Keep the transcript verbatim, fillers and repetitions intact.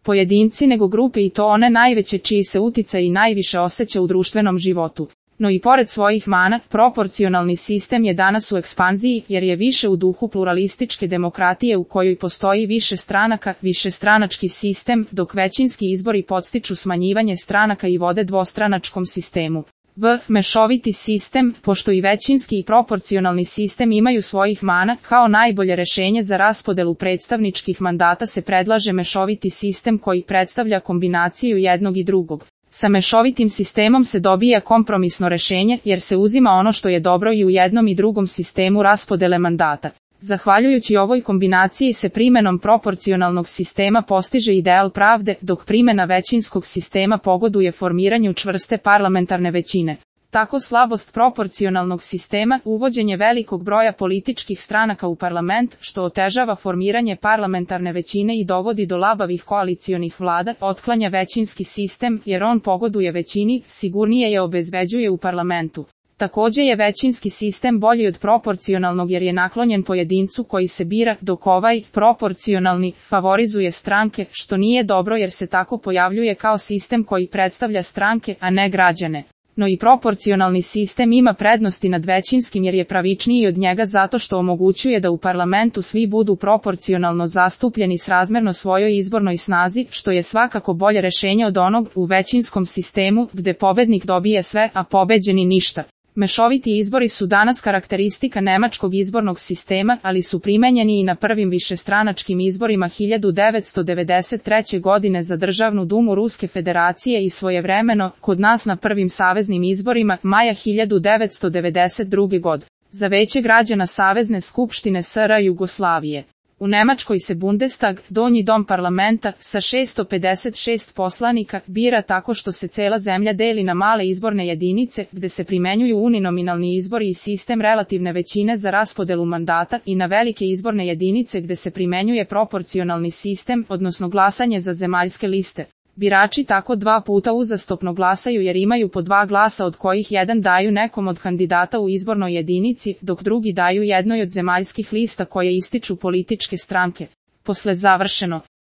pojedinci nego grupe i to one najveće čiji se uticaj i najviše osjeća u društvenom životu. No i pored svojih mana, proporcionalni sistem je danas u ekspanziji jer je više u duhu pluralističke demokratije u kojoj postoji više stranaka, višestranački sistem, dok većinski izbori podstiču smanjivanje stranaka i vode dvostranačkom sistemu. V. Mešoviti sistem, pošto i većinski i proporcionalni sistem imaju svojih mana, kao najbolje rešenje za raspodelu predstavničkih mandata se predlaže mešoviti sistem koji predstavlja kombinaciju jednog i drugog. Sa mešovitim sistemom se dobija kompromisno rešenje jer se uzima ono što je dobro i u jednom i drugom sistemu raspodele mandata. Zahvaljujući ovoj kombinaciji se primenom proporcionalnog sistema postiže ideal pravde, dok primena većinskog sistema pogoduje formiranju čvrste parlamentarne većine. Tako slabost proporcionalnog sistema, uvođenje velikog broja političkih stranaka u parlament, što otežava formiranje parlamentarne većine i dovodi do labavih koalicionih vlada, otklanja većinski sistem, jer on pogoduje većini, sigurnije je obezbeđuje u parlamentu. Takođe je većinski sistem bolji od proporcionalnog jer je naklonjen pojedincu koji se bira, dok ovaj, proporcionalni, favorizuje stranke, što nije dobro jer se tako pojavljuje kao sistem koji predstavlja stranke, a ne građane. No i proporcionalni sistem ima prednosti nad većinskim jer je pravičniji od njega zato što omogućuje da u parlamentu svi budu proporcionalno zastupljeni srazmerno svojoj izbornoj snazi, što je svakako bolje rešenje od onog u većinskom sistemu, gde pobednik dobije sve, a pobeđeni ništa. Mešoviti izbori su danas karakteristika nemačkog izbornog sistema, ali su primenjeni i na prvim višestranačkim izborima hiljadu devetsto devedeset treće. godine za Državnu dumu Ruske federacije i svojevremeno, kod nas na prvim saveznim izborima, maja hiljadu devetsto devedeset druge. godine. Za Veće građana Savezne skupštine S R Jugoslavije. U Nemačkoj se Bundestag, donji dom parlamenta, sa šesto pedeset šest poslanika, bira tako što se cela zemlja deli na male izborne jedinice, gde se primenjuju uninominalni izbori i sistem relativne većine za raspodelu mandata, i na velike izborne jedinice gde se primenjuje proporcionalni sistem, odnosno glasanje za zemaljske liste. Birači tako dva puta uzastopno glasaju jer imaju po dva glasa od kojih jedan daju nekom od kandidata u izbornoj jedinici, dok drugi daju jednoj od zemaljskih lista koje ističu političke stranke. Posle završeno